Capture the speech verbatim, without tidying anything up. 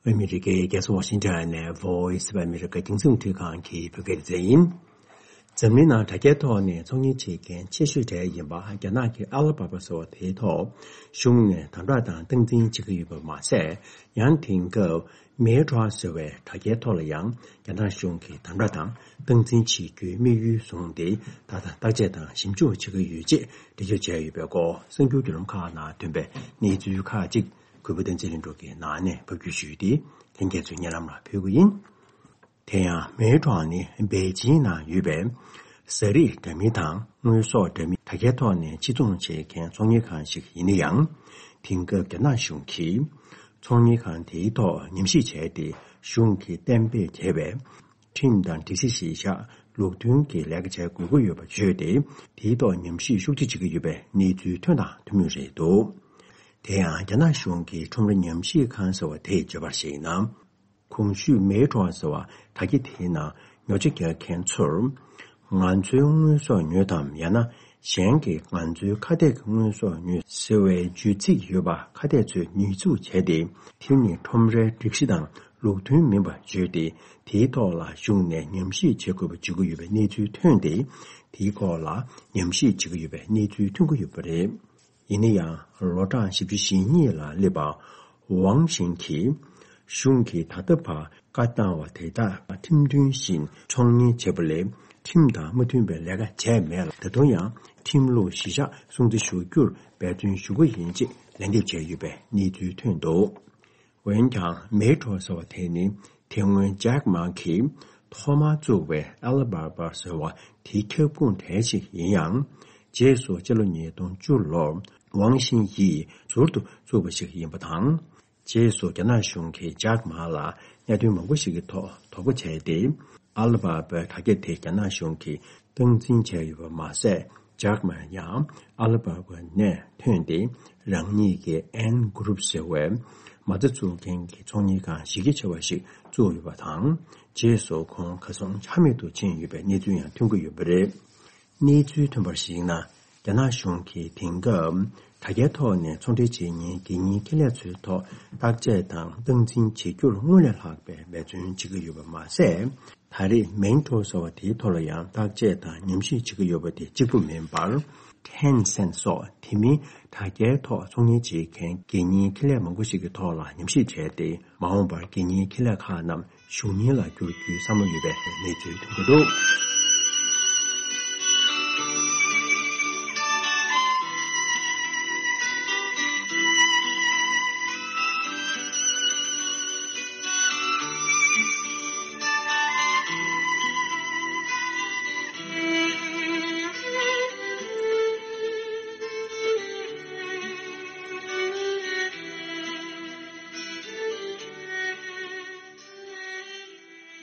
ཨ་མི་རི་ཀའི་རྒྱལ་ས་ཝ་ཤིང་ཊོན་ནས་Voice of America རྒྱང་སྲིང་རླུང་འཕྲིན་ཁང་གི་བོད་སྐད་སྡེ་ཚན་ཡིན། འཛམ་གླིང་ནང་དྲ་རྒྱའི་ཐོག་ནས་ཚོང་གཉེར་བྱེད་མཁན་ཆེ་ཤོས་གྲས་ཡིན་པ་རྒྱ་ནག་གི་ཨ་ལི་བྷ་བྷ་ཟེར་བ་དེའི་ཐོག་གཞུང་ནས་དམ་དྲག་དང་སྟངས་འཛིན་བྱེད་ཀྱི་ཡོད་པ་མ་ཟད། ཡང་དེང་སྐབས་Meta ཟེར་བའི་དྲ་རྒྱའི་ཐོག་ལ་ཡང་རྒྱ་ནག་གཞུང་གིས་དམ་དྲག་དང་སྟངས་འཛིན་བྱེད་རྒྱུའི་དམིགས་ཡུལ་བཟུང་སྟེ། ད་ལྟ་བརྟག་དཔྱད་དང་ཞིབ་འཇུག་བྱེད་ཀྱི་ཡོད་ཅེས་འགྲེལ་བརྗོད་བྱས་ཡོད་པའི་སྐོར། གསར་འགྱུར་བརྒྱུད་ལམ་ཁག་ནང་ཐོན་པའི་གནས་ཚུལ་ཁག་ཅིག་གུས་པ་བསྟན་འཛིན་ལྷུན་གྲུབ་ཀྱིས་ནང་ནས་ཕབ་སྒྱུར་ཞུས་ཏེ། ལྷན་རྒྱས་ཚོའི་སྙན་ལམ་ལ་ཕུལ་གྱི་ཡིན། དེ་ཡང་Meta ནི་པེ་ཅིང་ནང་ཡོད་པའི་ཟ་རིགས་འདྲ་མིན་དང་དངོས་ཟོག་འདྲ་མིན་དྲ་རྒྱའི་ཐོག་ནས་ཕྱིར་ཚོང་བྱེད་མཁན་ཚོང་གཉེར་ཁང་ཞིག་ཡིན་ན་ཡང་། དེང་སྐབས་རྒྱ་ནག་གཞུང་གིས་ཚོང་གཉེར་ཁང་དེའི་ཐོག་ཉམས་ཞིབ་བྱས་ཏེ། གཞུང་གིས་གཏན་འབེབས་བྱས་པའི་ཁྲིམས་དང་སྒྲིག་གཞི་གཞིར་བཞག་ལུགས་མཐུན་གྱི་ལས་ཀ་བྱ་དགོས་ཀྱི་ཡོད་པ་བརྗོད་དེ། དེའི་ཐོག་ཉམས་ཞིབ་ཤུགས་ཆེ་བྱེད་ཀྱི་ཡོད་པའི་གནས་ཚུལ་ཐོན་དང་ཐོན་མུས་རེད་འདུག་དེ་ཡང་རྒྱ་ནག་གཞུང་གིས་ཁྲོམ་ར་ཉམས་ཞིབ་ཁང་ཟེར་བ་དེས་བརྗོད་པར་གཞིགས་ན། གོང་ཞུས་Meta ཟེར་བ་དྲ་རྒྱ་དེའི་ནང་ཉོ་ཆ་རྒྱག་མཁན་ཚོར། ང་ཚོའི་དངོས་ཟོག་ཉོས་དམ། ཡང་ན་གཞན་གྱིས་ང་ཚོའི་ཁ་གཏད་ཀྱི་དངོས་ཟོག་ཉོས་ཟེར་བའི་བརྗོད་ཚིག་ཡོད་པ་ཁ་གཏད་ཚོས་ཉེས་འཛུགས་བྱས་ཏེ། དེ་ནི་ཁྲོམ་རའི་སྒྲིག་གཞི་དང་ལུགས་མཐུན་མིན་པ་བརྗོད་དེ། དེའི་ཐོག་ལ་གཞུང་ནས་ཉམས་ཞིབ་བྱེད་དགོས་པ་བརྗོད་ཀྱི་ཡོད་པའི་གནས་ཚུལ་ཐོན་ཏེ། དེའི་སྐོར་ལ་ཉམས་ཞིབ་བྱེད་ཀྱི་ཡོད་པའི་གནས་ཚུལ་ཐོན་གྱི་ཡོད་པ་རེད། ཡིན་ན་ཡང་། ལོ་གྲངས་བཞི་བཅུ་ཞེ་གཉིས་ལ་སླེབས་པ་ཝང་ཤིང་གིས། གཞུང་གིས་ད་ལྟ་བར་བཀའ་བཏང་བ་དེ་དག་ཁྲིམས་མཐུན་བཞིན་ཚོང་གཉེར་བྱེད་པ་ལས། ཁྲིམས་དང་མ་མཐུན་པའི་ལས་ཀ་བྱས་མེད་ལ། ད་དུང་ཡང་ཁྲིམས་ལུགས་གཞིར་བཞག་སྲུང་བརྩི་ཞུ་རྒྱུར་འབད་བརྩོན་ཞུ་གི་ཡིན་ཅེས་ལན་འདེབས་བྱས་ཡོད་པའི་གནས་ཚུལ་ཐོན་འདུག་འོན་ཀྱང་། Meta ཟེར་བ་དེ་ནི་དེ་སྔོན་Jack Ma གིས་ཐོག་མར་བཙུགས་པའི་Alibaba ཟེར་བ་དེའི་ཁྱབ་ཁོངས་གྲས་ཤིག་ཡིན་ཡང་། རྗེས་སུ་སྤྱི་ལོ་ཉིས་སྟོང་བཅུ་ལོར་ཝང་ཤིང་ཡིས་ཟུར་དུ་བཙུགས་པ་ཞིག་ཡིན་པ་དང་། རྗེས་སུ་རྒྱ་ནག་གཞུང་གིས་Jack Ma ལ་གནད་དོན་མང་པོ་ཞིག་གི་ཐོག་དོགས་པ་བྱས་ཏེ། Alibaba དྲ་རྒྱ་དེ་རྒྱ་ནག་གཞུང་གིས་སྟངས་འཛིན་བྱས་ཡོད་པ་མ་ཟད། Jack Ma ཡང་Alibaba ནས་ཐོན་ཏེ། རང་ཉིད་ཀྱི་Ant Group ཟེར་བའི་མ་རྩ་བཙུགས་མཁན་གྱི་ཚོང་གཉེར་ཁང་གཞི་རྒྱ་ཆེ་བ་ཞིག་བཙུགས་ཡོད་པ་དང་། རྗེས་སུ་ཁོང་གར་སོང་ཆ་མེད་དུ་ཕྱིན་ཡོད་པའི་གནས་ཚུལ་ཡང་ཐོན་གྱི་ཡོད་པ་རེད། གནས་ཚུལ་ཐོན་པར་གཞིགས་ན། རྒྱ་ནག་གཞུང་གིས་དེང་སྐབས་དྲ་རྒྱའི་ཐོག་ནས་ཚོང་འབྲེལ་བྱེད་མཁན་སྒེར་གཉེར་ཁེ་ལས་ཚོའི་ཐོག་བརྟག་དཔྱད་དང་སྟངས་འཛིན་བྱེད་རྒྱུར་སྔོན་ལས་ལྷག་པའི་འབད་བརྩོན་བྱེད་ཀྱི་ཡོད་པ་མ་ཟད། ད་རེས་Meta ཟེར་བ་དེའི་ཐོག་ལ་ཡང་བརྟག་དཔྱད་དང་ཉམས་ཞིབ་བྱེད་ཀྱི་ཡོད་པ་དེ་གཅིག་པུ་མིན་པར། Tencent སོགས་དེ་མིན་དྲ་རྒྱའི་ཐོག་ཚོང་གཉེར་བྱེད་མཁན་སྒེར་གཉེར་ཁེ་ལས་མང་པོ་ཞིག་གི་ཐོག་ལ་ཉམས་ཞིབ་བྱས་ཏེ། མ་འོངས་པར་སྒེར་གཉེར་ཁེ་ལས་ཁག་རྣམས་གཞུང་གཉེར་ལ་བསྒྱུར་རྒྱུའི་བསམ་བློ་ཡོད་པའི་གནས་ཚུལ་ཐོན་གྱི་འདུག